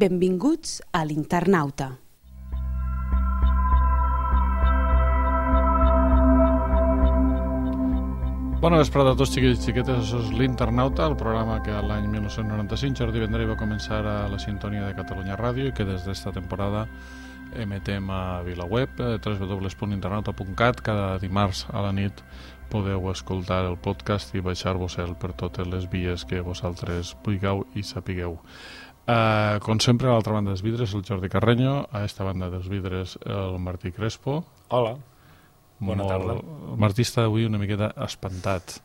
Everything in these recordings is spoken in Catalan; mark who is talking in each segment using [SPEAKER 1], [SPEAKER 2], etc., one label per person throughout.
[SPEAKER 1] Benvinguts a l'Internauta.
[SPEAKER 2] Bona vesprada a tots, xiquets i xiquetes. Això és l'Internauta, el programa que l'any 1995 Jordi Vendrell va començar a la sintonia de Catalunya Ràdio i que des d'esta temporada emetem a VilaWeb, www.internauta.cat. Cada dimarts a la nit podeu escoltar el podcast i baixar-vos-el per totes les vies que vosaltres vulgueu i sapigueu. Com sempre, a l'altra banda dels vidres, el Jordi Carreño, a esta banda dels vidres, el Martí Crespo.
[SPEAKER 3] Hola. Bona tarda.
[SPEAKER 2] El Martí està avui una miqueta espantat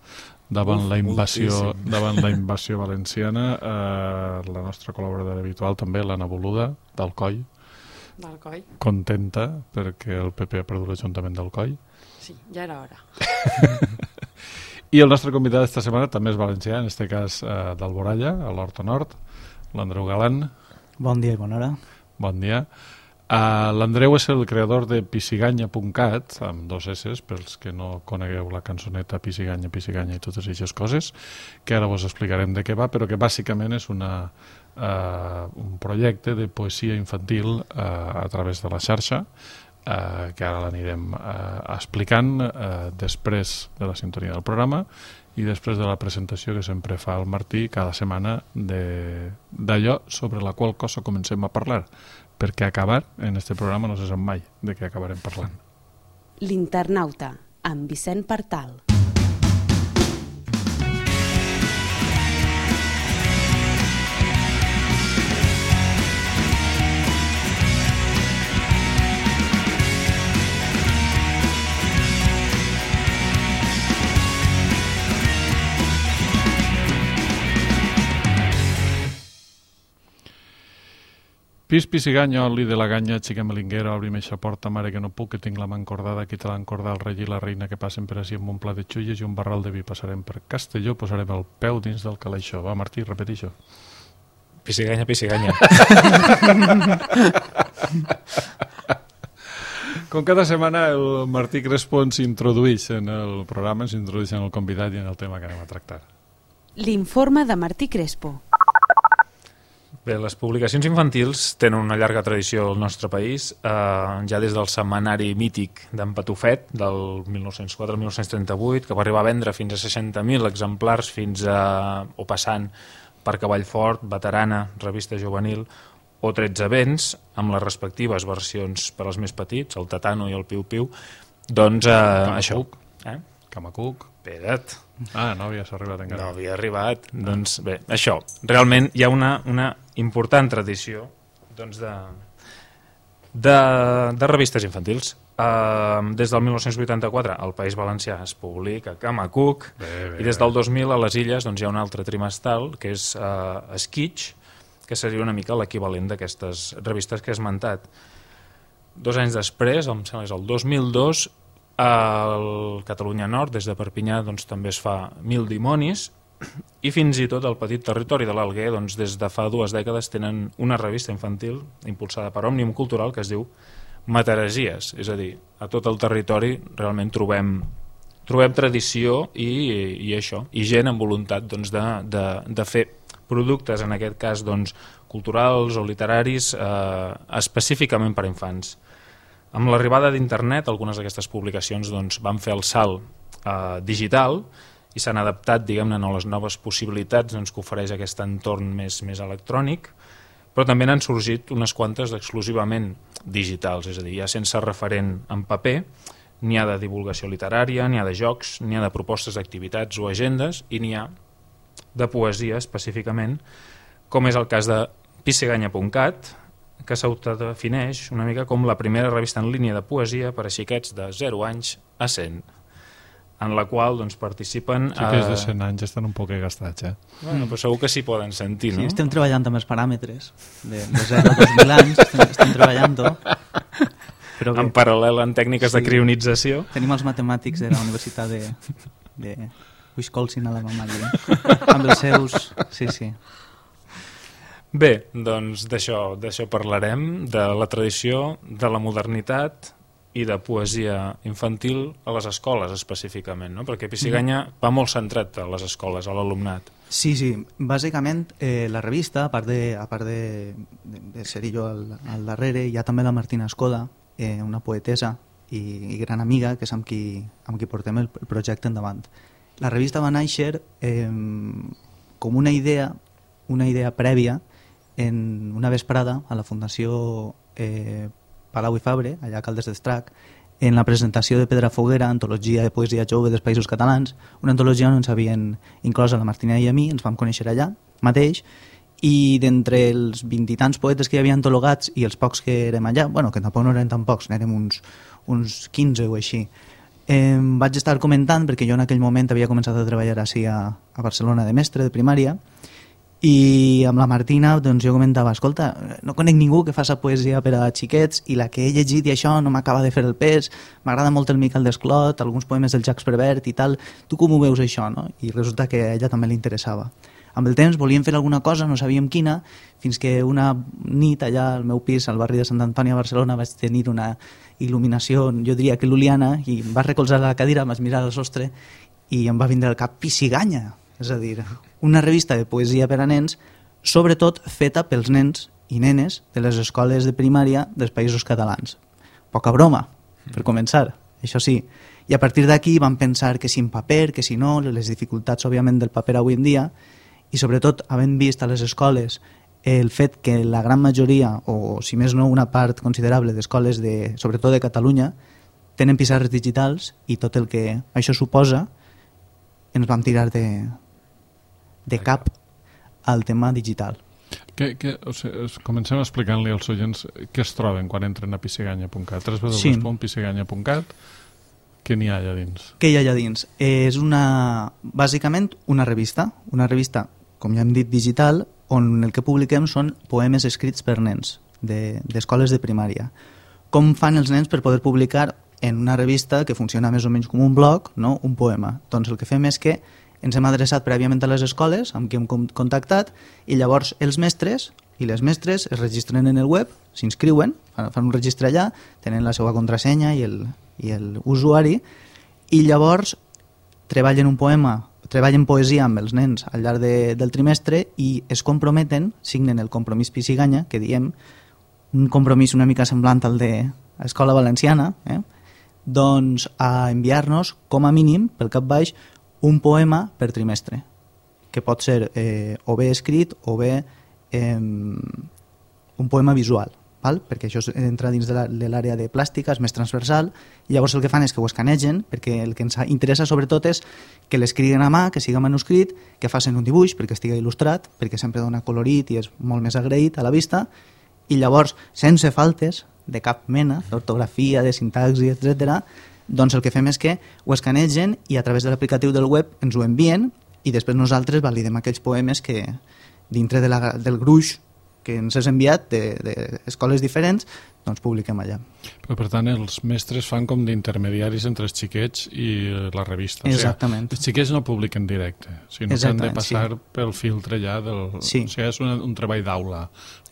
[SPEAKER 2] davant la invasió valenciana. La nostra col·laboradora habitual també, l'Anna Boluda, d'Alcoi.
[SPEAKER 4] D'Alcoi.
[SPEAKER 2] Contenta perquè el PP ha perdut l'Ajuntament d'Alcoi.
[SPEAKER 4] Sí, ja era hora.
[SPEAKER 2] I el nostre convidat d'esta setmana també és valencià, en este cas d'Alboralla, a l'Horta Nord, l'Andreu Galán.
[SPEAKER 5] Bon dia i bona hora.
[SPEAKER 2] Bon dia. L'Andreu és el creador de pisiganya.cat, amb 2 S, pels que no conegueu la cançoneta Pisiganya, Pisiganya i totes aquestes coses, que ara vos explicarem de què va, però que bàsicament és un projecte de poesia infantil a través de la xarxa, que ara l'anirem explicant després de la sintonia del programa i després de la presentació que sempre fa el Martí cada setmana d'allò sobre la qual cosa comencem a parlar, perquè acabar en este programa no se sap mai de què acabarem parlant.
[SPEAKER 1] L'Internauta, amb Vicent Partal.
[SPEAKER 2] Pis, pisiganya, oli de la ganya, xica melinguera, obrim eixa porta, mare que no puc, que tinc la mà encordada, qui te l'ha encordat, el rei i la reina que passen per ací amb un pla de xulles i un barral de vi. Passarem per Castelló, posarem el peu dins del calaixó. Va, Martí, repeteixo.
[SPEAKER 3] Pisiganya, pisiganya.
[SPEAKER 2] Com cada setmana, el Martí Crespo ens introdueix en el programa, ens introdueix en el convidat i en el tema que anem a tractar.
[SPEAKER 1] L'informe de Martí Crespo.
[SPEAKER 3] Bé, les publicacions infantils tenen una llarga tradició al nostre país, ja des del setmanari mític d'en Patufet, del 1904-1938, que va arribar a vendre fins a 60.000 exemplars, o passant per Cavallfort, Veterana, Revista Juvenil, o 13 vents, amb les respectives versions per als més petits, el Tatano i el Piu Piu, doncs això.
[SPEAKER 2] Camacuc.
[SPEAKER 3] Espera't.
[SPEAKER 2] No havies arribat encara.
[SPEAKER 3] No havia arribat. Doncs bé, això. Realment hi ha una important tradició doncs, de revistes infantils. Des del 1984 al País Valencià es publica Camacuc i des del 2000 a les Illes doncs, hi ha un altre trimestral que és Esquitx, que seria una mica l'equivalent d'aquestes revistes que he esmentat. 2 anys després, em sembla que és el 2002, al Catalunya Nord, des de Perpinyà, doncs, també es fa Mil dimonis, i fins i tot al petit territori de l'Alguer, doncs, des de fa 2 dècades tenen una revista infantil impulsada per Òmnium Cultural que es diu Mataresies, és a dir, a tot el territori realment trobem tradició i això, i gent amb voluntat doncs, de fer productes, en aquest cas doncs, culturals o literaris específicament per a infants. Amb l'arribada d'internet, algunes d'aquestes publicacions doncs, van fer el salt digital i s'han adaptat, diguem-ne, a les noves possibilitats doncs, que ofereix aquest entorn més electrònic, però també n'han sorgit unes quantes exclusivament digitals, és a dir, ja sense referent en paper, n'hi ha de divulgació literària, n'hi ha de jocs, n'hi ha de propostes d'activitats o agendes, i n'hi ha de poesia específicament, com és el cas de pisiganya.cat, que s'autodefineix una mica com la primera revista en línia de poesia per a xiquets de 0 anys a 100, en la qual doncs, participen...
[SPEAKER 2] Xiquets de 100 anys estan un poc gastats,
[SPEAKER 3] Bueno, però segur que s'hi poden sentir, no?
[SPEAKER 5] Sí, estem treballant amb els paràmetres de 0 a 2.000 anys, estem treballant-ho.
[SPEAKER 3] En paral·lel en tècniques de crionització.
[SPEAKER 5] Tenim els matemàtics de la Universitat de Wisconsin a la Mamàlia, amb els seus... Sí.
[SPEAKER 3] Bé, doncs d'això parlarem, de la tradició, de la modernitat i de poesia infantil a les escoles específicament, no? Perquè Pissiganya va molt centrat a les escoles, a l'alumnat.
[SPEAKER 5] Sí, bàsicament la revista, a part de ser jo al darrere, hi ha també la Martina Escoda, una poetesa i gran amiga, que és amb qui portem el projecte endavant. La revista va néixer com una idea prèvia en una vesprada a la Fundació Palau i Fabre, allà a Caldes d'Estrac, en la presentació de Pedrafoguera, antologia de poesia jove dels Països Catalans, una antologia on ens havien inclòs a la Martina i a mi, ens vam conèixer allà mateix, i d'entre els 20 i tants poetes que hi havia antologats i els pocs que érem allà, bueno, que tampoc no eren tan pocs, n'érem uns 15 o així, vaig estar comentant, perquè jo en aquell moment havia començat a treballar així a Barcelona de mestre de primària, i amb la Martina doncs jo comentava, escolta, no conec ningú que faci poesia per a xiquets i la que he llegit i això no m'acaba de fer el pes, m'agrada molt el Miquel Desclot, alguns poemes del Jacques Prévert i tal, tu com ho veus això? No? I resulta que a ella també li interessava. Amb el temps volíem fer alguna cosa, no sabíem quina, fins que una nit allà al meu pis, al barri de Sant Antoni a Barcelona, vaig tenir una il·luminació, jo diria que luliana, i em va recolzar a la cadira, em vaig mirar al sostre i em va vindre al cap Pissiganya, és a dir, una revista de poesia per a nens, sobretot feta pels nens i nenes de les escoles de primària dels Països Catalans. Poca broma, per començar, això sí. I a partir d'aquí vam pensar que si en paper, que si no, les dificultats, òbviament, del paper avui en dia, i sobretot, havent vist a les escoles el fet que la gran majoria, o si més no una part considerable d'escoles, sobretot de Catalunya, tenen pissarres digitals i tot el que això suposa, ens vam tirar de cap al tema digital.
[SPEAKER 2] Comencem explicant-li als oients què es troben quan entren a pissiganya.cat, www.pissiganya.cat. Què n'hi ha allà dins?
[SPEAKER 5] Què hi ha allà dins? És bàsicament una revista, com ja hem dit, digital, on el que publiquem són poemes escrits per nens d'escoles de primària. Com fan els nens per poder publicar en una revista que funciona més o menys com un blog, no? Un poema? Doncs el que fem és que ens hem adreçat prèviament a les escoles amb qui hem contactat i llavors els mestres i les mestres es registren en el web, s'inscriuen, fan un registre allà, tenen la seva contrasenya i l'usuari i llavors treballen poesia amb els nens al llarg del trimestre i es comprometen, signen el compromís Pissiganya, que diem un compromís una mica semblant al de l'Escola Valenciana, doncs a enviar-nos com a mínim pel cap baix un poema per trimestre, que pot ser o bé escrit o bé un poema visual, val? Perquè això entra dins de l'àrea de plàstica, és més transversal, i llavors el que fan és que ho escanegen, perquè el que ens interessa sobretot és que l'escriguen a mà, que siga manuscrit, que facin un dibuix perquè estigui il·lustrat, perquè sempre dona colorit i és molt més agraït a la vista, i llavors, sense faltes de cap mena, d'ortografia, de sintaxi, etc., doncs el que fem és que ho escanegen i a través de l'aplicatiu del web ens ho envien i després nosaltres validem aquells poemes que dintre del gruix que ens has enviat d'escoles diferents, doncs publiquem allà.
[SPEAKER 2] Però per tant els mestres fan com d'intermediaris entre els xiquets i la revista.
[SPEAKER 5] Exactament.
[SPEAKER 2] O sigui, els xiquets no publiquen directe, sinó que han de passar pel filtre ja del...
[SPEAKER 5] Sí.
[SPEAKER 2] O sigui, és un treball d'aula,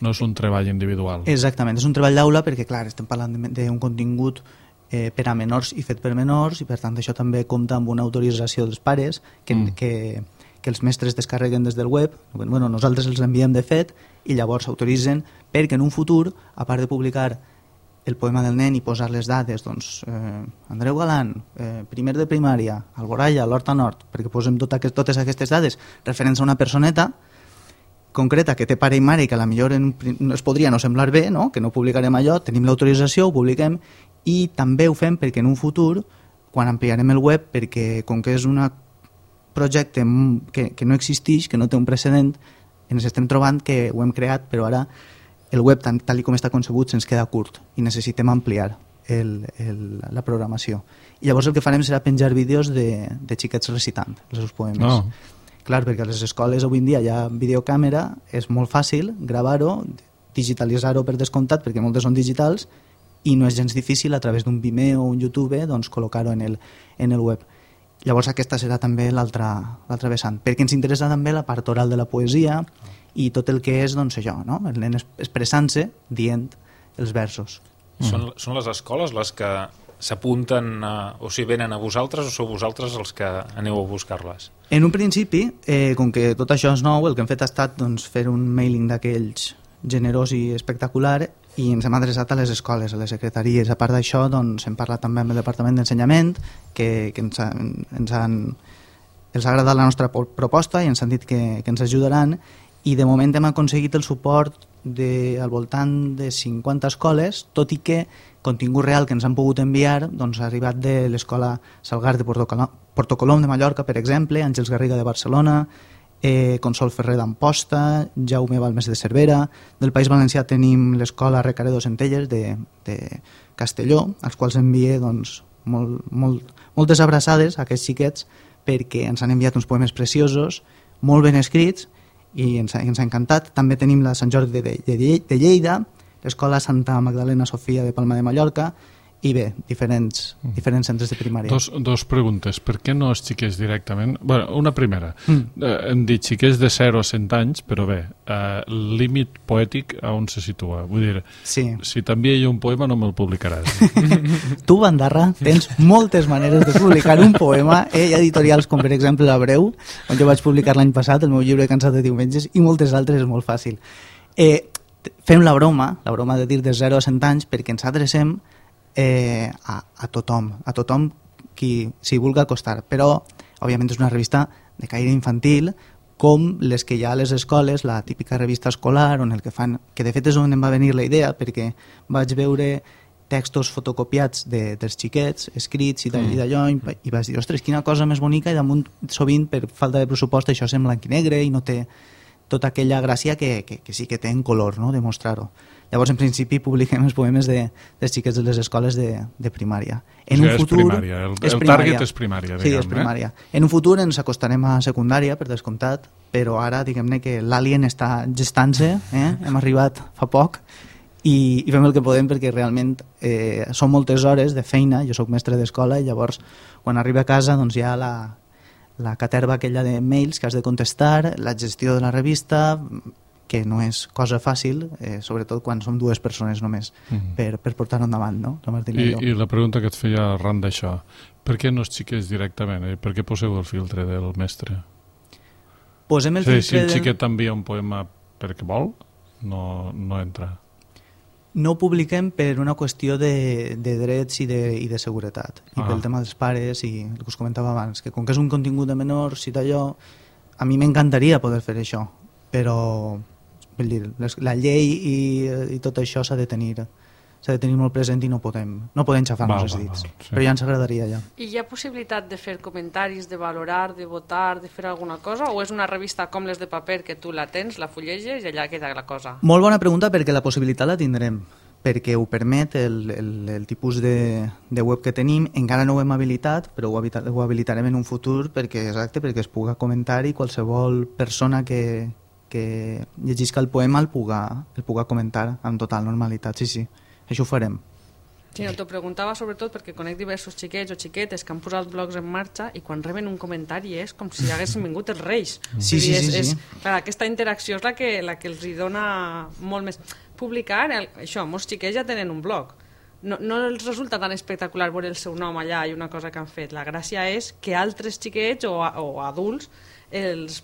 [SPEAKER 2] no és un treball individual.
[SPEAKER 5] Exactament, és un treball d'aula perquè, clar, estem parlant d'un contingut per a menors i fet per menors i per tant això també compta amb una autorització dels pares que els mestres descarreguen des del web. Bueno, nosaltres els enviem de fet i llavors s'autoritzen perquè en un futur, a part de publicar el poema del nen i posar les dades, doncs Andreu Galant, primer de primària, Alboraya, l'Horta Nord, perquè posem totes aquestes dades referents a una personeta concreta que té pare i mare i que a la millor es podria no semblar bé, no? Que no publicarem allò, tenim l'autorització, ho publiquem i també ho fem perquè en un futur, quan ampliarem el web, perquè com que és un projecte que no existeix, que no té un precedent, ens estem trobant que ho hem creat, però ara el web, tal com està concebut, se'ns queda curt i necessitem ampliar la programació. I llavors el que farem serà penjar vídeos de xiquets recitant els seus poemes.
[SPEAKER 2] No.
[SPEAKER 5] Clar, perquè a les escoles avui en dia hi ha videocàmera, és molt fàcil gravar-ho, digitalitzar-ho per descomptat, perquè moltes són digitals, i no és gens difícil a través d'un Vimeo o un YouTube doncs, col·locar-ho en el web. Llavors aquesta serà també l'altra vessant, perquè ens interessa també la part oral de la poesia i tot el que és doncs, això, no? El nen expressant-se dient els versos.
[SPEAKER 3] Són les escoles les que s'apunten o si venen a vosaltres o sou vosaltres els que aneu a buscar-les?
[SPEAKER 5] En un principi, com que tot això és nou, el que hem fet ha estat fer un mailing d'aquells generós i espectacular i ens hem adreçat a les escoles, a les secretaries. A part d'això, hem parlat també amb el Departament d'Ensenyament, que els ha agradat la nostra proposta i ens han dit que ens ajudaran, i de moment hem aconseguit el suport al voltant de 50 escoles, tot i que contingut real que ens han pogut enviar ha arribat de l'Escola Salgar de Porto Colom de Mallorca, per exemple, Àngels Garriga de Barcelona, Consol Ferrer d'Amposta, Jaume Balmes de Cervera. Del País Valencià tenim l'Escola Recaredo Centelles de Castelló, als quals envie moltes abraçades a aquests xiquets, perquè ens han enviat uns poemes preciosos, molt ben escrits, i ens ha encantat. També tenim la Sant Jordi de Lleida, l'Escola Santa Magdalena Sofia de Palma de Mallorca, i bé, diferents centres de primària.
[SPEAKER 2] Dos preguntes. Per què no els xiquets directament? Bueno, una primera. Hem dit xiquets de 0 a 100 anys, però bé, límit poètic a on se situa? Vull dir, si t'envia jo un poema no me'l publicaràs.
[SPEAKER 5] Tu, Bandarra, tens moltes maneres de publicar un poema. Hi ha editorials com, per exemple, La Breu, on jo vaig publicar l'any passat el meu llibre Cansat de diumenges, i moltes altres, és molt fàcil. Fem la broma de dir de 0 a 100 anys, perquè ens adrecem a tothom qui s'hi vulgui acostar, però òbviament és una revista de caire infantil, com les que hi ha a les escoles, la típica revista escolar, on el que fan, que de fet és on em va venir la idea, perquè vaig veure textos fotocopiats dels xiquets, escrits i d'allò, i vaig dir, ostres, quina cosa més bonica, i damunt sovint per falta de pressupost això és en blanc i negre i no té tota aquella gràcia que sí que té en color, no?, de mostrar-ho. Llavors, en principi, publiquem els poemes dels xiquets de les escoles de primària.
[SPEAKER 2] En un futur, és primària, el target és primària.
[SPEAKER 5] Sí, és primària. En un futur ens acostarem a secundària, per descomptat, però ara, diguem-ne que l'alien està gestant-se, hem arribat fa poc, i fem el que podem perquè realment són moltes hores de feina, jo sóc mestre d'escola, i llavors, quan arriba a casa, doncs hi ha la caterva aquella de mails que has de contestar, la gestió de la revista, que no és cosa fàcil, sobretot quan som dues persones només, per portar-ho endavant, no?
[SPEAKER 2] I la pregunta que et feia arran d'això, per què no els xiquets directament? Per què poseu el filtre del mestre?
[SPEAKER 5] Posem el filtre
[SPEAKER 2] si el xiquet t'envia un poema perquè vol, no entra.
[SPEAKER 5] No ho publiquem per una qüestió de drets i de seguretat, i pel tema dels pares, i el que us comentava abans, que com que és un contingut de menors i d'allò, a mi m'encantaria poder fer això, però vull dir, la llei i tot això s'ha de tenir molt present i no podem xafar-nos els dits, sí. Però ja ens agradaria ja.
[SPEAKER 4] I hi ha possibilitat de fer comentaris, de valorar, de votar, de fer alguna cosa, o és una revista com les de paper que tu la tens, la fulleges i allà queda la cosa?
[SPEAKER 5] Molt bona pregunta, perquè la possibilitat la tindrem, perquè ho permet el tipus de web que tenim. Encara no ho hem habilitat, però ho habilitarem en un futur perquè es puga comentar i qualsevol persona que llegisca el poema el puga comentar amb total normalitat. Sí, això ho farem.
[SPEAKER 4] Sí, no, t'ho preguntava sobretot perquè conec diversos xiquets o xiquetes que han posat blogs en marxa i quan reben un comentari és com si haguessin vingut els Reis.
[SPEAKER 5] Sí.
[SPEAKER 4] Clar, aquesta interacció és la que els hi dona molt més. Publicar, això, molts xiquets ja tenen un blog. No els resulta tan espectacular veure el seu nom allà i una cosa que han fet. La gràcia és que altres xiquets o adults els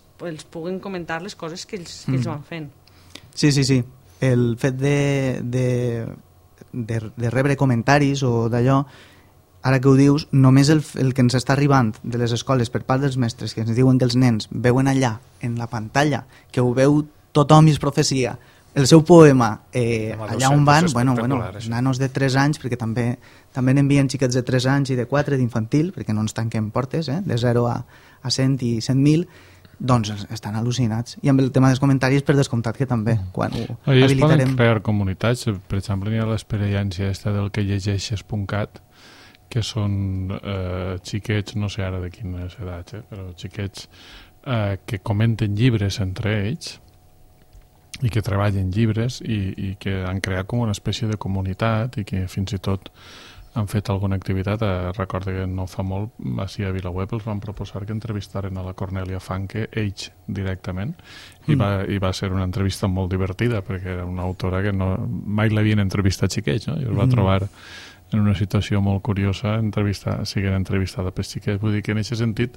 [SPEAKER 4] puguin comentar les coses que ells van fent.
[SPEAKER 5] Sí. El fet de rebre comentaris o d'allò, ara que ho dius, només el que ens està arribant de les escoles per part dels mestres, que ens diuen que els nens veuen allà, en la pantalla, que ho veu tothom i es profecia, el seu poema, allà on van, nanos de 3 anys, perquè també n'envien xiquets de 3 anys i de 4 d'infantil, perquè no ens tanquem portes, de 0 a 100 i 100.000, doncs estan al·lucinats. I amb el tema dels comentaris, per descomptat que també, quan ho habilitarem...
[SPEAKER 2] Es poden crear comunitats, per exemple, hi ha l'experiència del que llegeixes.cat, que són xiquets, no sé ara de quines edats, però xiquets que comenten llibres entre ells i que treballen llibres i que han creat com una espècie de comunitat i que fins i tot han fet alguna activitat. Recordo que no fa molt, així a VilaWeb els van proposar que entrevistaren a la Cornelia Funke, ells directament, i va ser una entrevista molt divertida, perquè era una autora que mai l'havien entrevistat xiquets, no? I es va trobar en una situació molt curiosa siguent entrevistada per xiquets. Vull dir que en aquest sentit,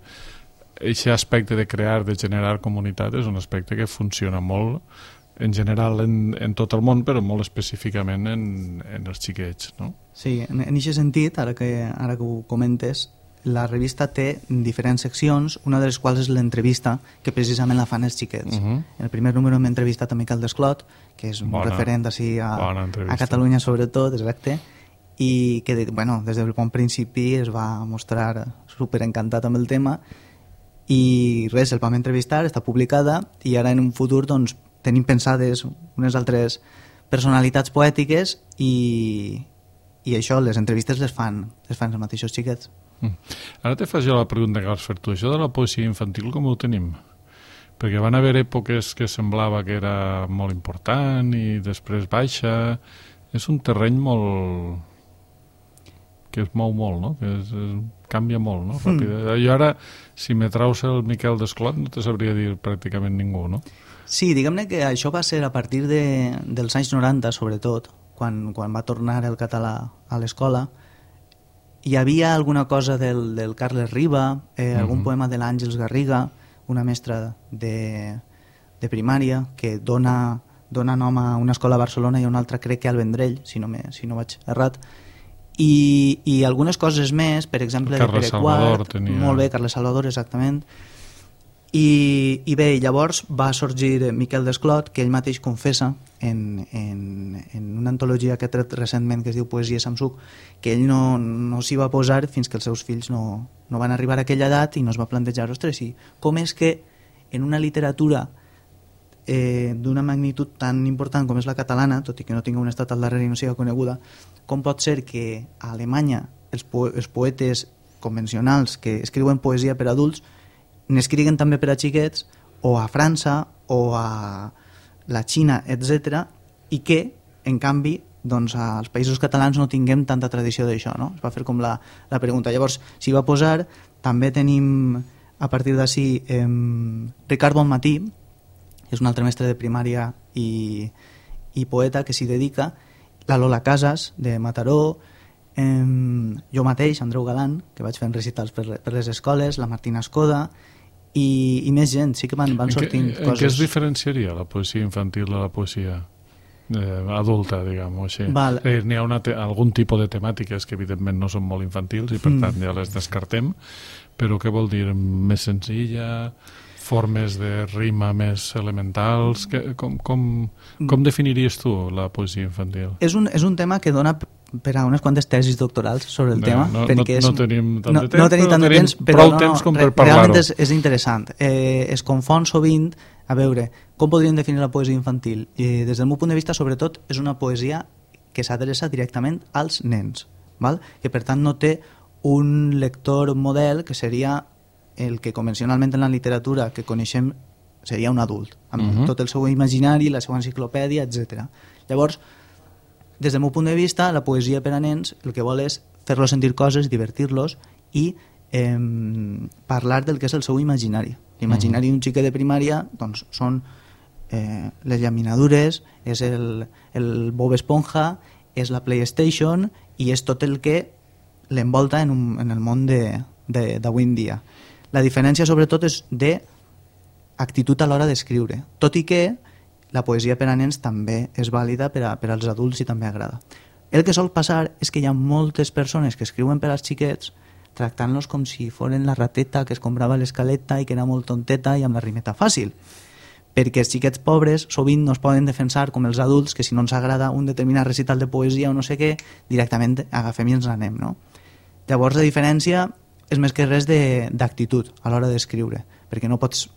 [SPEAKER 2] aquest aspecte de crear, de generar comunitat, és un aspecte que funciona molt en general en tot el món, però molt específicament en els xiquets, no?
[SPEAKER 5] Sí, en aquest sentit, ara que ho comentes, la revista té diferents seccions, una de les quals és l'entrevista, que precisament la fan els xiquets. En el primer número hem entrevistat a Miquel Desclot, que és un referent així a Catalunya sobretot, exacte, i que des del bon principi es va mostrar superencantat amb el tema, i res, el vam entrevistar, està publicada, i ara en un futur doncs tenim pensades unes altres personalitats poètiques i això, les entrevistes les fan els mateixos xiquets.
[SPEAKER 2] Ara te fas jo la pregunta que vas fer tu. Això de la poesia infantil com ho tenim? Perquè van haver èpoques que semblava que era molt important i després baixa. És un terreny molt... que es mou molt, no? Que canvia molt, no? I ara, si me traus el Miquel Desclot, no te sabria dir pràcticament ningú, no?
[SPEAKER 5] Sí, diguem-ne que això va ser a partir dels anys 90, sobretot, quan va tornar el català a l'escola. Hi havia alguna cosa del Carles Riba, algun poema de l'Àngels Garriga, una mestra de primària, que dona nom a una escola a Barcelona i a una altra crec que al Vendrell, si no vaig errat. I algunes coses més, per exemple, de Pere Quart, molt bé, Carles Salvador, exactament. I bé, llavors va sorgir Miquel Desclot, que ell mateix confessa en una antologia que ha tret recentment que es diu Poesia Samsuc, que ell no s'hi va posar fins que els seus fills no van arribar a aquella edat i no es va plantejar, ostres, i com és que en una literatura d'una magnitud tan important com és la catalana, tot i que no tingui un estat al darrere i no sigui coneguda, com pot ser que a Alemanya els poetes convencionals que escriuen poesia per adults n'escriguen també per a xiquets, o a França o a la Xina, etc., i que, en canvi, doncs, als països catalans no tinguem tanta tradició d'això, no? Es va fer com la pregunta. Llavors, s'hi va posar, també tenim, a partir d'ací, Ricard Bonmatí, que és un altre mestre de primària i poeta que s'hi dedica, la Lola Casas, de Mataró, jo mateix, Andreu Galant, que vaig fent recitals per les escoles, la Martina Escoda, i més gent, sí que van sortint coses.
[SPEAKER 2] En què es diferenciaria la poesia infantil de la poesia adulta, diguem-ho així? N'hi ha algun tipus de temàtiques que evidentment no són molt infantils i per tant ja les descartem, però què vol dir? Més senzilla, formes de rima més elementals, com definiries tu la poesia infantil? És
[SPEAKER 5] un tema que dona per a unes quantes tesis doctorals sobre el tema.
[SPEAKER 2] No tenim tant de temps,
[SPEAKER 5] però
[SPEAKER 2] prou temps com per parlar-ho.
[SPEAKER 5] Realment és interessant. Es confon sovint, a veure, com podríem definir la poesia infantil? Des del meu punt de vista, sobretot, és una poesia que s'adreça directament als nens, val? Que per tant no té un lector model que seria el que convencionalment en la literatura que coneixem seria un adult, amb tot el seu imaginari, la seva enciclopèdia, etc. Llavors, des del meu punt de vista, la poesia per a nens el que vol és fer-los sentir coses, divertir-los i parlar del que és el seu imaginari. L'imaginari d'un xiquet de primària doncs, són les llaminadures, és el Bob Esponja, és la PlayStation i és tot el que l'envolta en el món d'avui en dia. La diferència sobretot és d'actitud a l'hora d'escriure, tot i que la poesia per a nens també és vàlida per als adults i també agrada. El que sol passar és que hi ha moltes persones que escriuen per als xiquets tractant-los com si foren la rateta que es comprava l'escaleta i que era molt tonteta i amb la rimeta fàcil. Perquè els xiquets pobres sovint no es poden defensar com els adults, que si no ens agrada un determinat recital de poesia o no sé què, directament agafem i ens n'anem, no? Llavors la diferència és més que res d'actitud a l'hora d'escriure, perquè no pots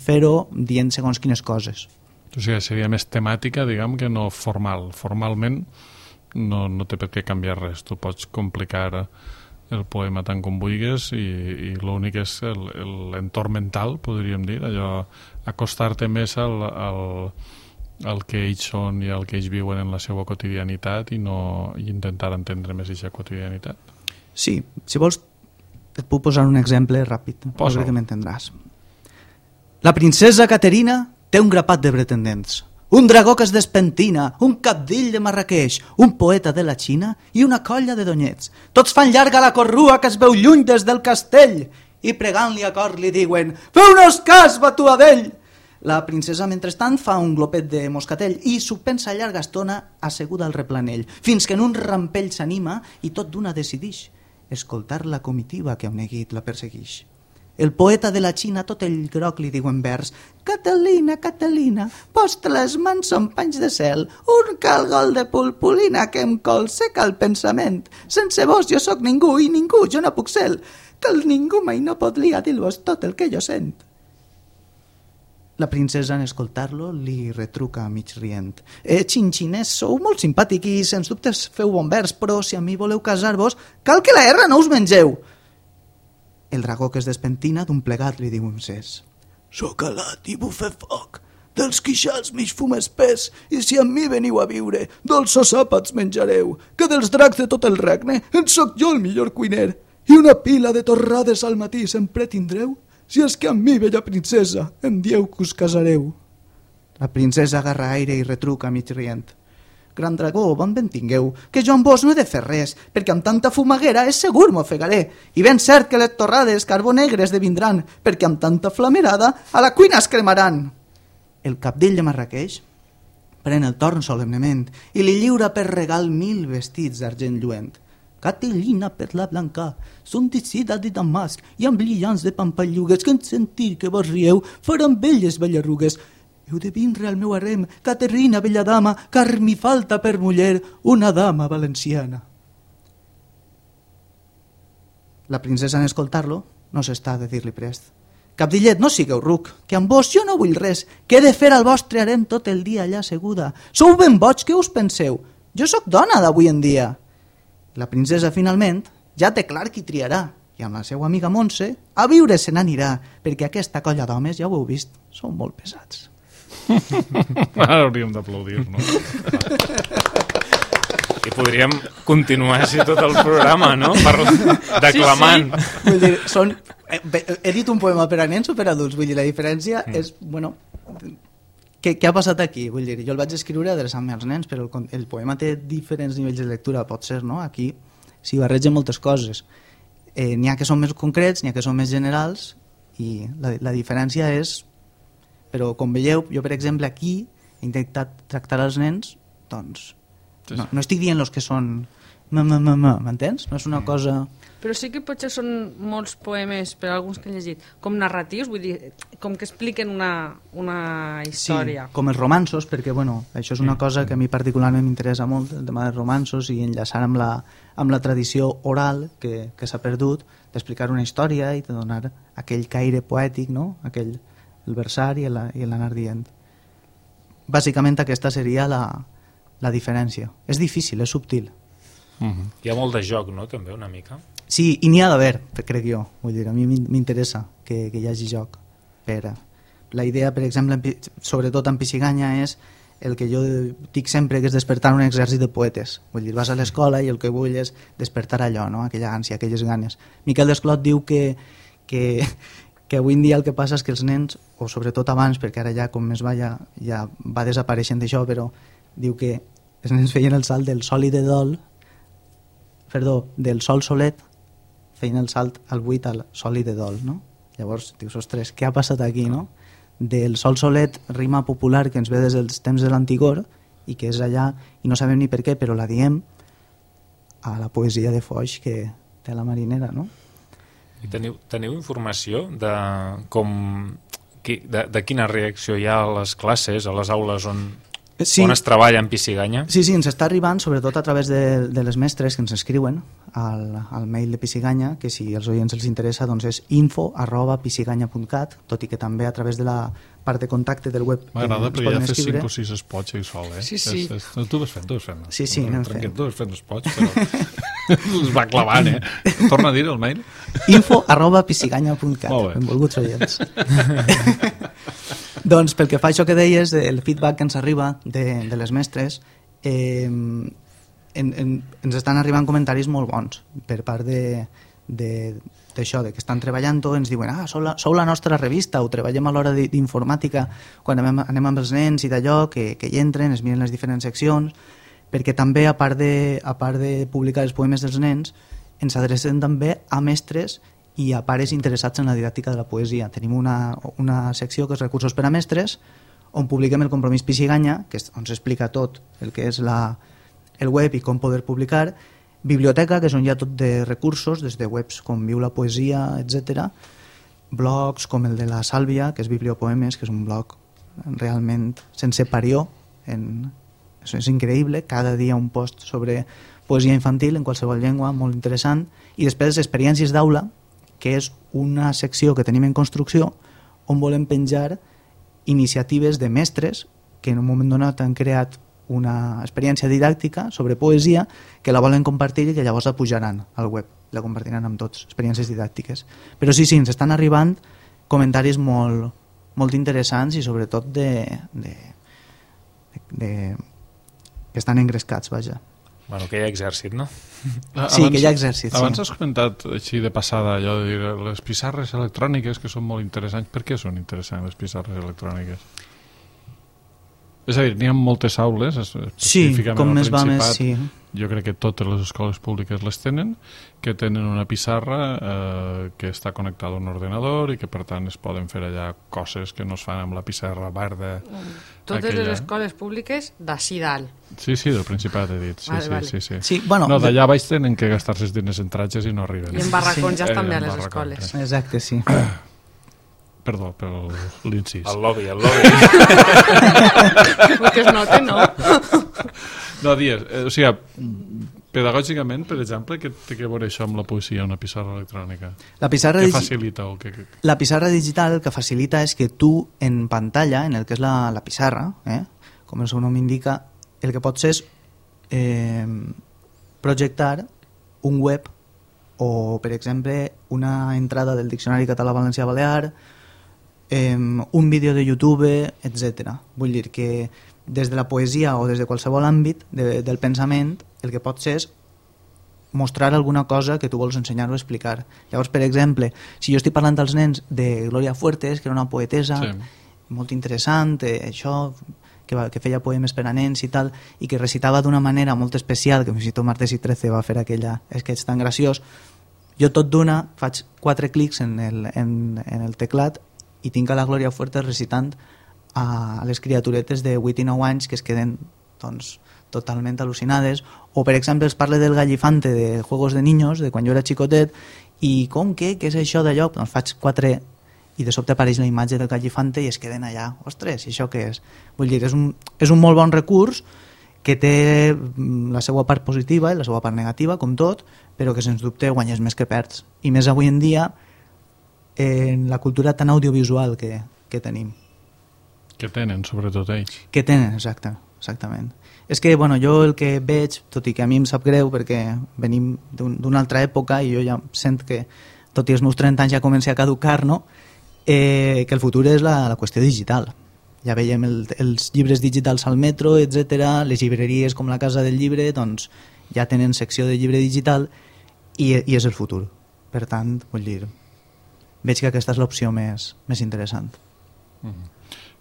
[SPEAKER 5] fer-ho dient segons quines coses.
[SPEAKER 2] O sigui, seria més temàtica, diguem, que no formal. Formalment no té per què canviar res. Tu pots complicar el poema tant com vulguis i l'únic és l'entorn mental, podríem dir, allò, acostar-te més el que ells són i el que ells viuen en la seva quotidianitat i intentar entendre més aquesta quotidianitat.
[SPEAKER 5] Sí, si vols et puc posar un exemple ràpid,
[SPEAKER 2] Posa-ho.
[SPEAKER 5] crec que m'entendràs. La princesa Caterina té un grapat de pretendents, un dragó que es despentina, un cabdill de Marrakeix, un poeta de la Xina i una colla de donyets. Tots fan llarga la corrua que es veu lluny des del castell i pregant-li a cor li diuen «Feu-nos cas, batuadell!». La princesa, mentrestant, fa un glopet de moscatell i s'ho pensa llarga estona asseguda al replanell, fins que en un rampell s'anima i tot d'una decidix escoltar la comitiva que un neguit la perseguix. El poeta de la Xina, tot el groc, li diu en vers «Catalina, Catalina, posta les mans són panys de cel, un calgol de pulpulina que em colseca el pensament. Sense vos jo sóc ningú i ningú jo no puc ser, que el ningú mai no podria dir-vos tot el que jo sent». La princesa, en escoltar-lo, li retruca mig rient. Xinxiners, sou molt simpàtic i sens dubtes feu bon vers, però si a mi voleu casar-vos, cal que la erra no us mengeu. El dragó que es despentina d'un plegat li diu un cés. Soc alat i bufe foc, dels quixals mig fum espès, i si amb mi veniu a viure, dolços àpats menjareu, que dels dracs de tot el regne en soc jo el millor cuiner, i una pila de torrades al matí sempre tindreu, si és que amb mi, bella princesa, em dieu que us casareu. La princesa agarra aire i retruca mig rient. Gran dragó, bon vent tingueu, que jo amb vos no he de fer res, perquè amb tanta fumaguera és segur m'ofegaré, i ben cert que les torrades carbó negre esdevindran, perquè amb tanta flamerada a la cuina es cremaran. El cabdill de Marrakeix pren el torn solemnement i li lliura per regal 1000 vestits d'argent lluent. Caterina per la blanca, són teixida de damasc i amb brillants de pampallugues que en sentir que vos rieu faran belles bellarrugues. Heu de vindre al meu harem, Caterina, bella dama, car mi falta per muller una dama valenciana. La princesa, en escoltar-lo, no s'està de dir-li prest. Cabdillet, no sigueu ruc, que amb vos jo no vull res, que he de fer al vostre harem tot el dia allà asseguda. Sou ben boig, què us penseu? Jo sóc dona d'avui en dia. La princesa, finalment, ja té clar qui triarà, i amb la seva amiga Montse a viure se n'anirà, perquè aquesta colla d'homes, ja ho heu vist, són molt pesats.
[SPEAKER 2] Ara hauríem d'aplaudir, no?
[SPEAKER 3] I podríem continuar així tot el programa, no? Declamant.
[SPEAKER 5] Sí, sí. Vull dir, he dit un poema per a nens o per a adults, vull dir, la diferència és, bueno, què ha passat aquí? Vull dir, jo el vaig escriure adreçant-me als nens, però el poema té diferents nivells de lectura, pot ser, no? Aquí s'hi barregen moltes coses. N'hi ha que són més concrets, n'hi ha que són més generals, i la diferència és... Però, com veieu, jo, per exemple, aquí he intentat tractar els nens, doncs, no estic dient els que són... M'entens? No és una cosa...
[SPEAKER 4] Però sí que potser són molts poemes, per alguns que he llegit, com narratius, vull dir, com que expliquen una història.
[SPEAKER 5] Sí, com els romanços, perquè bueno, això és una cosa que a mi particularment m'interessa molt, el tema dels romanços i enllaçar amb la tradició oral que s'ha perdut, d'explicar una història i de donar aquell caire poètic, no? El versar i l'anar dient. Bàsicament aquesta seria la diferència. És difícil, és subtil.
[SPEAKER 3] Hi ha molt de joc, no?, també, una mica.
[SPEAKER 5] Sí, i n'hi ha d'haver, crec jo. Vull dir, a mi m'interessa que hi hagi joc. La idea, per exemple, sobretot en Pisiganya, és el que jo dic sempre, que és despertar un exèrcit de poetes. Vull dir, vas a l'escola i el que vull és despertar allò, no? Aquella ànsia, aquelles ganes. Miquel Desclot diu que avui en dia el que passa és que els nens, o sobretot abans, perquè ara ja com més va ja va desapareixent d'això, però diu que els nens feien el salt del sol i de dol, del sol solet, feien el salt al buit al sol i de dol, no? Llavors dius, ostres, què ha passat aquí, no? Del sol solet, rima popular que ens ve des dels temps de l'antigor i que és allà, i no sabem ni per què, però la diem a la poesia de Foix que té la marinera, no?
[SPEAKER 3] I teniu informació de quina reacció hi ha a les classes, a les aules on es treballa en Pisiganya?
[SPEAKER 5] Sí, ens està arribant, sobretot a través de les mestres que ens escriuen al mail de Pisiganya, que si als oients els interessa doncs és info@pisiganya.cat, tot i que també a través de la part de contacte del web
[SPEAKER 2] m'agrada perquè ja fes 5 o 6 spots i sol, eh?
[SPEAKER 4] Sí.
[SPEAKER 2] Tu vas fent.
[SPEAKER 5] Sí, anem fent.
[SPEAKER 2] Tu vas fent spots, però els va clavant, eh? Torna a dir el mail.
[SPEAKER 5] info@pisiganya.cat, benvolguts oients. Doncs pel que fa a això que deies, el feedback que ens arriba de les mestres, ens estan arribant comentaris molt bons per part d'això, de que estan treballant-ho, ens diuen, sou la nostra revista, o treballem a l'hora d'informàtica quan anem amb els nens i d'allò, que hi entren, es miren les diferents seccions, perquè també, a part de publicar els poemes dels nens, ens adrecem també a mestres i a pares interessats en la didàctica de la poesia. Tenim una secció que és Recursos per a Mestres, on publiquem el compromís Pixiganya, que és on s'explica tot el que és el web i com poder publicar, biblioteca, que és on hi ha tot de recursos, des de webs com Viu la Poesia, etc. Blogs com el de la Sàlvia, que és Bibliopoemes, que és un blog realment sense parió, és increïble, cada dia un post sobre poesia infantil en qualsevol llengua, molt interessant, i després Experiències d'aula, que és una secció que tenim en construcció on volem penjar iniciatives de mestres que en un moment donat han creat una experiència didàctica sobre poesia que la volen compartir i que llavors la pujaran al web, la compartiran amb tots, experiències didàctiques. Però sí, ens estan arribant comentaris molt, molt interessants i sobretot que estan engrescats, vaja.
[SPEAKER 3] Bueno, que hi ha exèrcit, no?
[SPEAKER 5] Sí, que hi ha exèrcit, sí.
[SPEAKER 2] Abans has comentat així de passada allò de dir les pissarres electròniques que són molt interessants. Per què són interessants les pissarres electròniques? És a dir, n'hi ha moltes aules, específicament al Principat,
[SPEAKER 5] sí.
[SPEAKER 2] Jo crec que totes les escoles públiques les tenen, que tenen una pissarra que està connectada a un ordenador i que per tant es poden fer allà coses que no es fan amb la pissarra verda.
[SPEAKER 4] Totes les escoles públiques d'ací dalt.
[SPEAKER 2] Sí, del Principat he dit. Sí.
[SPEAKER 5] Bueno,
[SPEAKER 2] d'allà baix tenen que gastar-se els diners en tratges i no arriben.
[SPEAKER 4] I en barracons ja estan bé a les escoles.
[SPEAKER 5] Exacte, sí.
[SPEAKER 2] Perdó per l'incís.
[SPEAKER 3] El lobby.
[SPEAKER 4] Que es nota, no?
[SPEAKER 2] No, dies, o sigui, pedagògicament, per exemple, què té a veure això amb la poesia, una pissarra electrònica?
[SPEAKER 5] La pissarra
[SPEAKER 2] què facilita?
[SPEAKER 5] La pissarra digital el que facilita és que tu en pantalla, en el que és la pissarra, com el seu nom indica, el que pots és projectar un web o, per exemple, una entrada del Diccionari Català-Valencià-Balear, un vídeo de YouTube, etc. Vull dir que des de la poesia o des de qualsevol àmbit del pensament el que pots és mostrar alguna cosa que tu vols ensenyar o explicar. Llavors, per exemple, si jo estic parlant als nens de Gloria Fuertes, que era una poetesa molt interessant, això, que feia poemes per a nens i tal, i que recitava d'una manera molt especial, que fins i tot Martes i Trece va fer aquella sketch tan graciós, jo tot d'una faig 4 clics en el teclat i tinc a la Gloria Fuertes recitant a les criaturetes de 8 i 9 anys que es queden doncs, totalment al·lucinades, o per exemple es parla del Gallifante de Juegos de Niños, de quan jo era xicotet, i què és això d'allò? Doncs faig 4 i de sobte apareix la imatge del Gallifante i es queden allà, ostres, i això què és? Vull dir, és un molt bon recurs que té la seva part positiva i la seva part negativa, com tot, però que sens dubte guanyes més que perds, i més avui en dia en la cultura tan audiovisual que tenim.
[SPEAKER 2] Que tenen, sobretot ells.
[SPEAKER 5] Que tenen, exactament. És que, bueno, jo el que veig, tot i que a mi em sap greu perquè venim d'una altra època i jo ja sent que, tot i els meus 30 anys ja comença a caducar, no? Que el futur és la qüestió digital. Ja veiem els llibres digitals al metro, etc. Les llibreries com la Casa del Llibre doncs, ja tenen secció de llibre digital i és el futur. Per tant, vull dir, veig que aquesta és l'opció més interessant.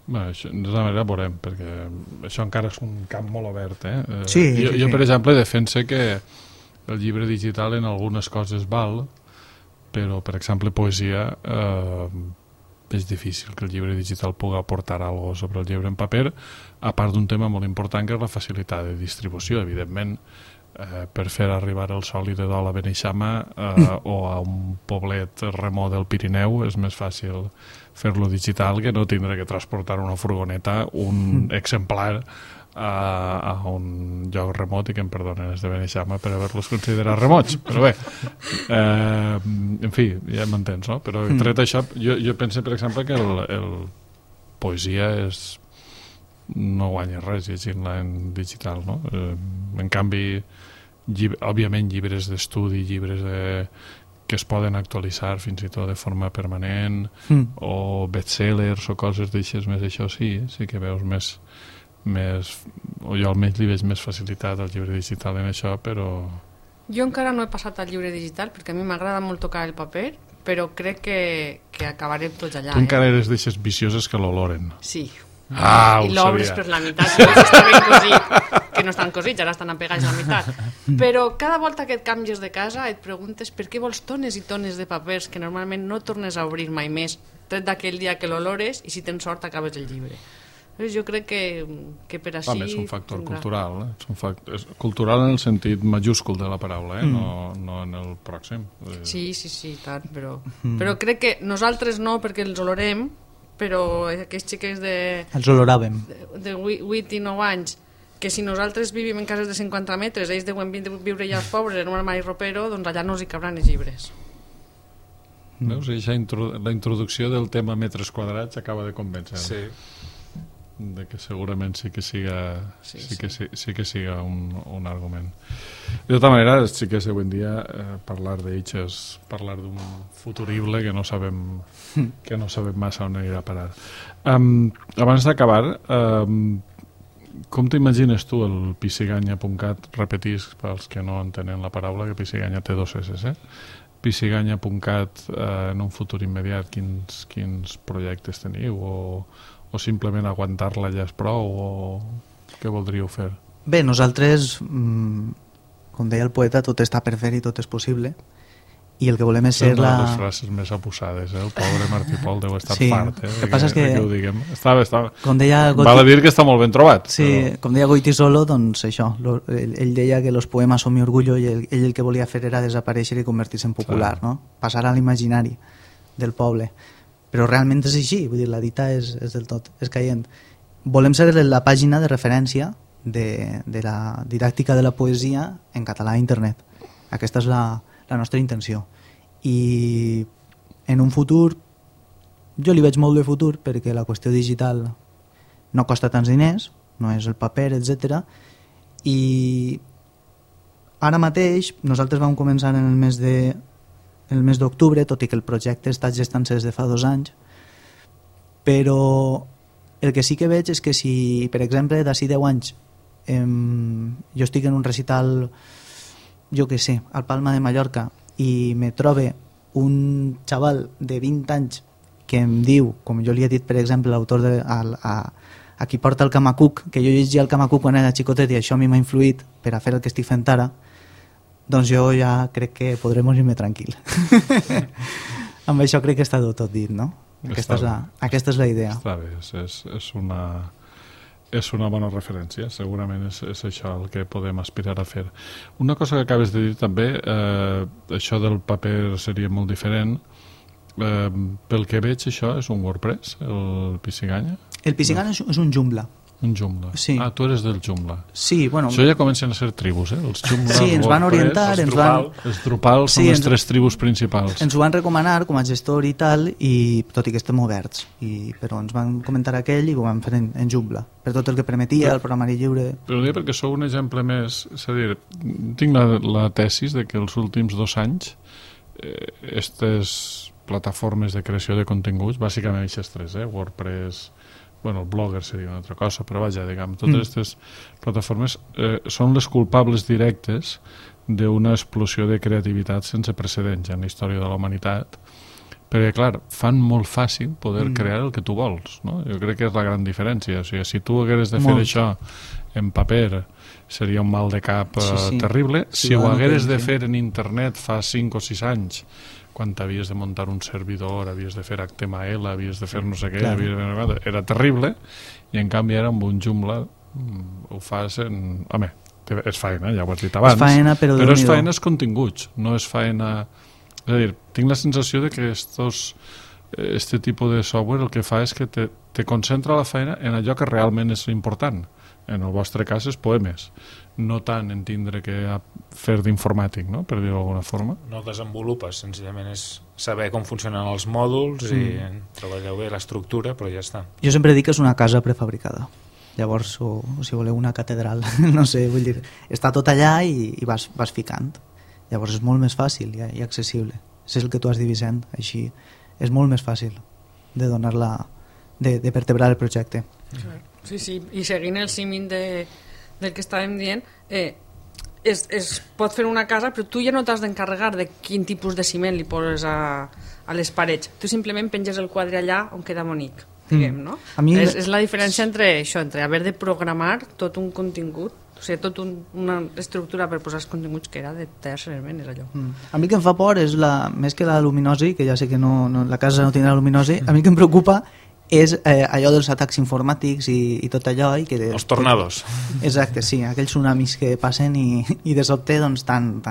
[SPEAKER 2] Bé, això, de tota manera veurem, perquè això encara és un camp molt obert.
[SPEAKER 5] Sí,
[SPEAKER 2] jo, per exemple, defense que el llibre digital en algunes coses val, però, per exemple, poesia és difícil que el llibre digital pugui aportar alguna cosa sobre el llibre en paper, a part d'un tema molt important que és la facilitat de distribució. Evidentment, per fer arribar el Sol i de Dol a Beneixama o a un poblet remot del Pirineu és més fàcil fer-lo digital que no tindre que transportar una furgoneta, un exemplar a un lloc remot, i que em perdonen els de Beneixama per haver-los considerat remots, però bé, en fi, ja m'entens, no? Però tret això, jo penso, per exemple, que el poesia no guanya res llegint-la en digital, no? En canvi, òbviament llibres d'estudi, llibres que es poden actualitzar fins i tot de forma permanent, o bestsellers o coses d'aixes més, això sí que veus més, o jo almenys li veig més facilitat al llibre digital en això, però...
[SPEAKER 4] Jo encara no he passat al llibre digital perquè a mi m'agrada molt tocar el paper, però crec que acabarem tots allà.
[SPEAKER 2] Tu encara eres d'aixes vicioses que l'oloren.
[SPEAKER 4] Sí.
[SPEAKER 2] I
[SPEAKER 4] l'obres per la meitat, si està ben cosit, que no estan cosits, ara estan apegats a la meitat. Però cada volta que et canvies de casa et preguntes per què vols tones i tones de papers que normalment no tornes a obrir mai més, tret d'aquell dia que l'olores, i si tens sort acabes el llibre. Jo crec que per així...
[SPEAKER 2] És un factor cultural, és un factor, cultural en el sentit majúscul de la paraula, no en el pròxim.
[SPEAKER 4] Sí, tant, però crec que nosaltres no, perquè els olorem, però aquests xiquets
[SPEAKER 5] els oloràvem
[SPEAKER 4] de 8 i 9 anys, que si nosaltres vivim en cases de 50 metres, ells deuen viure ja els pobres en un armari ropero, doncs allà no els hi cabran els llibres.
[SPEAKER 2] Veus? La introducció del tema metres quadrats acaba de convèncer.
[SPEAKER 3] Sí.
[SPEAKER 2] De que segurament sí que siga un argument. De tota manera, sí que avui en dia parlar d'ells és parlar d'un futurible que no sabem massa on anirà a parar. Abans d'acabar, com t'imagines tu el pisiganya.cat? Repetís pels que no entenen la paraula, que pisiganya té 2 S, pisiganya.cat en un futur immediat, quins projectes teniu, o simplement aguantar-la ja és prou, o què voldríeu fer?
[SPEAKER 5] Bé, nosaltres, com deia el poeta, tot està per fer i tot és possible, i el que volem és ser
[SPEAKER 2] una de les frases més apussades, el pobre Martí Pol deu estar fart,
[SPEAKER 5] el que passa és que
[SPEAKER 2] ho diguem. Estava...
[SPEAKER 5] Com deia
[SPEAKER 2] val a dir que està molt ben trobat.
[SPEAKER 5] Sí, però... com deia Goitisolo, doncs això, ell deia que los poemas son mi orgullo, i ell el que volia fer era desaparèixer i convertir-se en popular, no? Passar a l'imaginari del poble. Però realment és així, vull dir, la dita és del tot escaient. Volem ser la pàgina de referència de la didàctica de la poesia en català a internet. Aquesta és la nostra intenció. I en un futur, jo li veig molt de futur, perquè la qüestió digital no costa tants diners, no és el paper, etc. I ara mateix nosaltres vam començar en el mes d'octubre, tot i que el projecte està gestant-se des de fa 2 anys, però el que sí que veig és que si, per exemple, d'ací 10 anys jo estic en un recital, jo què sé, al Palma de Mallorca, i me trobe un xaval de 20 anys que em diu, com jo li he dit, per exemple, l'autor a qui porta el Camacuc, que jo llegia el Camacuc quan era xicotet i això a mi m'ha influït per a fer el que estic fent ara, doncs jo ja crec que podré morir-me tranquil. Amb això crec que està tot dit, no? Aquesta és la idea.
[SPEAKER 2] Està bé, és una bona referència, segurament és això el que podem aspirar a fer. Una cosa que acabes de dir també, això del paper seria molt diferent, pel que veig això és un WordPress, el Pisiganya?
[SPEAKER 5] El Pisiganya és un Joomla.
[SPEAKER 2] Un Joomla.
[SPEAKER 5] Sí.
[SPEAKER 2] Ah, tu eres del Joomla.
[SPEAKER 5] Sí, bueno...
[SPEAKER 2] Això ja comencen a ser tribus, Els Joomla,
[SPEAKER 5] sí, ens van orientar...
[SPEAKER 2] Els Drupal són les 3 tribus principals.
[SPEAKER 5] Ens ho van recomanar com a gestor i tal, i tot i que estem oberts. Però ens van comentar aquell i ho vam fer en Joomla, per tot el que permetia el programari lliure.
[SPEAKER 2] Però dic perquè sou un exemple més... És a dir, tinc la tesis de que els últims 2 anys aquestes plataformes de creació de continguts, bàsicament aquestes 3, WordPress... Bueno, el Blogger seria una altra cosa, però vaja, diguem, totes aquestes plataformes són les culpables directes d'una explosió de creativitat sense precedents en la història de la humanitat, perquè, clar, fan molt fàcil poder crear el que tu vols, no? Jo crec que és la gran diferència. O sigui, si tu hagueres de fer això en paper, seria un mal de cap terrible. Si ho hagueres de fer en internet fa 5 o 6 anys, quan havies de muntar un servidor, havies de fer HTML, havies de fer no sé què, era terrible, i en canvi ara amb un Joomla ho fas en... Home, és faena, ja ho has dit abans,
[SPEAKER 5] és faena, però
[SPEAKER 2] és faena els continguts, no és faena... És a dir, tinc la sensació de que este tipus de software el que fa és que te concentra la feina en allò que realment és important. En el vostre cas és poemes, no tant en tindre que fer d'informàtic, no? Per dir-ho d'alguna forma.
[SPEAKER 3] No desenvolupes, senzillament és saber com funcionen els mòduls i treballeu bé l'estructura, però ja està.
[SPEAKER 5] Jo sempre dic que és una casa prefabricada. Llavors, o si voleu una catedral, no sé, vull dir, està tot allà i vas ficant. Llavors és molt més fàcil i accessible. és el que tu has dit, Vicent, així és molt més fàcil de donar-la, de vertebrar el projecte.
[SPEAKER 4] Sí, i seguint el símil del que estàvem dient, es pot fer una casa, però tu ja no t'has d'encarregar de quin tipus de ciment li poses a les parets. Tu simplement penges el quadre allà on queda bonic, diguem, no? És la diferència entre això, entre haver de programar tot un contingut, o sigui, tota una estructura per posar els continguts que era de tallar element, és allò.
[SPEAKER 5] A mi que em fa por és, més que la luminosi, que ja sé que la casa no tindrà luminosi, a mi que em preocupa és allò dels atacs informàtics i tot allò.
[SPEAKER 3] Els tornados.
[SPEAKER 5] Exacte, sí, aquells tsunamis que passen i de sobte doncs, tan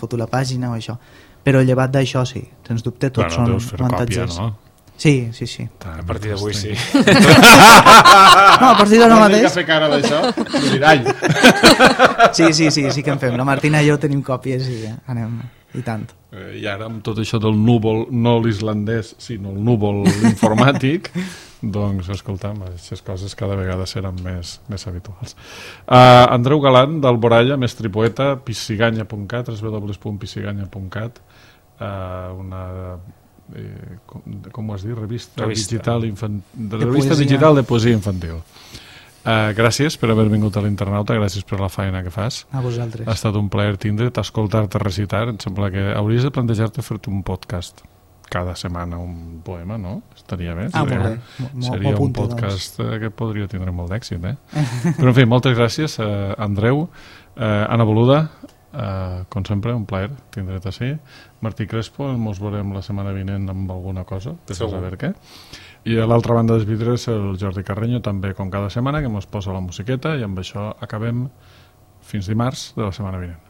[SPEAKER 5] foto la pàgina o això. Però llevat d'això, sí, sens dubte tots són avantatges.
[SPEAKER 2] No?
[SPEAKER 5] Sí.
[SPEAKER 3] A partir d'avui sí.
[SPEAKER 5] No, a partir d'ara mateix...
[SPEAKER 2] No fer cara d'això, mirall.
[SPEAKER 5] Sí que en fem. La Martina i jo tenim còpies i anem, i tant.
[SPEAKER 2] I ara amb tot això del núvol, no l'islandès, sinó el núvol informàtic, doncs, escolta'm, aquestes coses cada vegada seran més habituals. Andreu Galant, d'Alboralla, mestre i poeta, pissiganya.cat, www.pissiganya.cat, una... com ho has dit? Revista digital de poesia infantil. Gràcies per haver vingut a l'Internauta, gràcies per la feina que fas.
[SPEAKER 5] A vosaltres.
[SPEAKER 2] Ha estat un plaer tindre't, escoltar-te recitar. Em sembla que hauries de plantejar-te fer-te un podcast cada setmana, un poema, no? Estaria bé. Seria un podcast que podria tindre molt d'èxit, Però en fi, moltes gràcies, Andreu. Anna Boluda, com sempre, un plaer tindre't així. Martí Crespo, ens veurem la setmana vinent amb alguna cosa, per saber què. I a l'altra banda dels vidres el Jordi Carreño, també com cada setmana, que ens posa la musiqueta, i amb això acabem fins dimarts de la setmana vinent.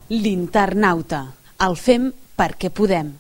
[SPEAKER 1] L'Internauta. El fem perquè podem.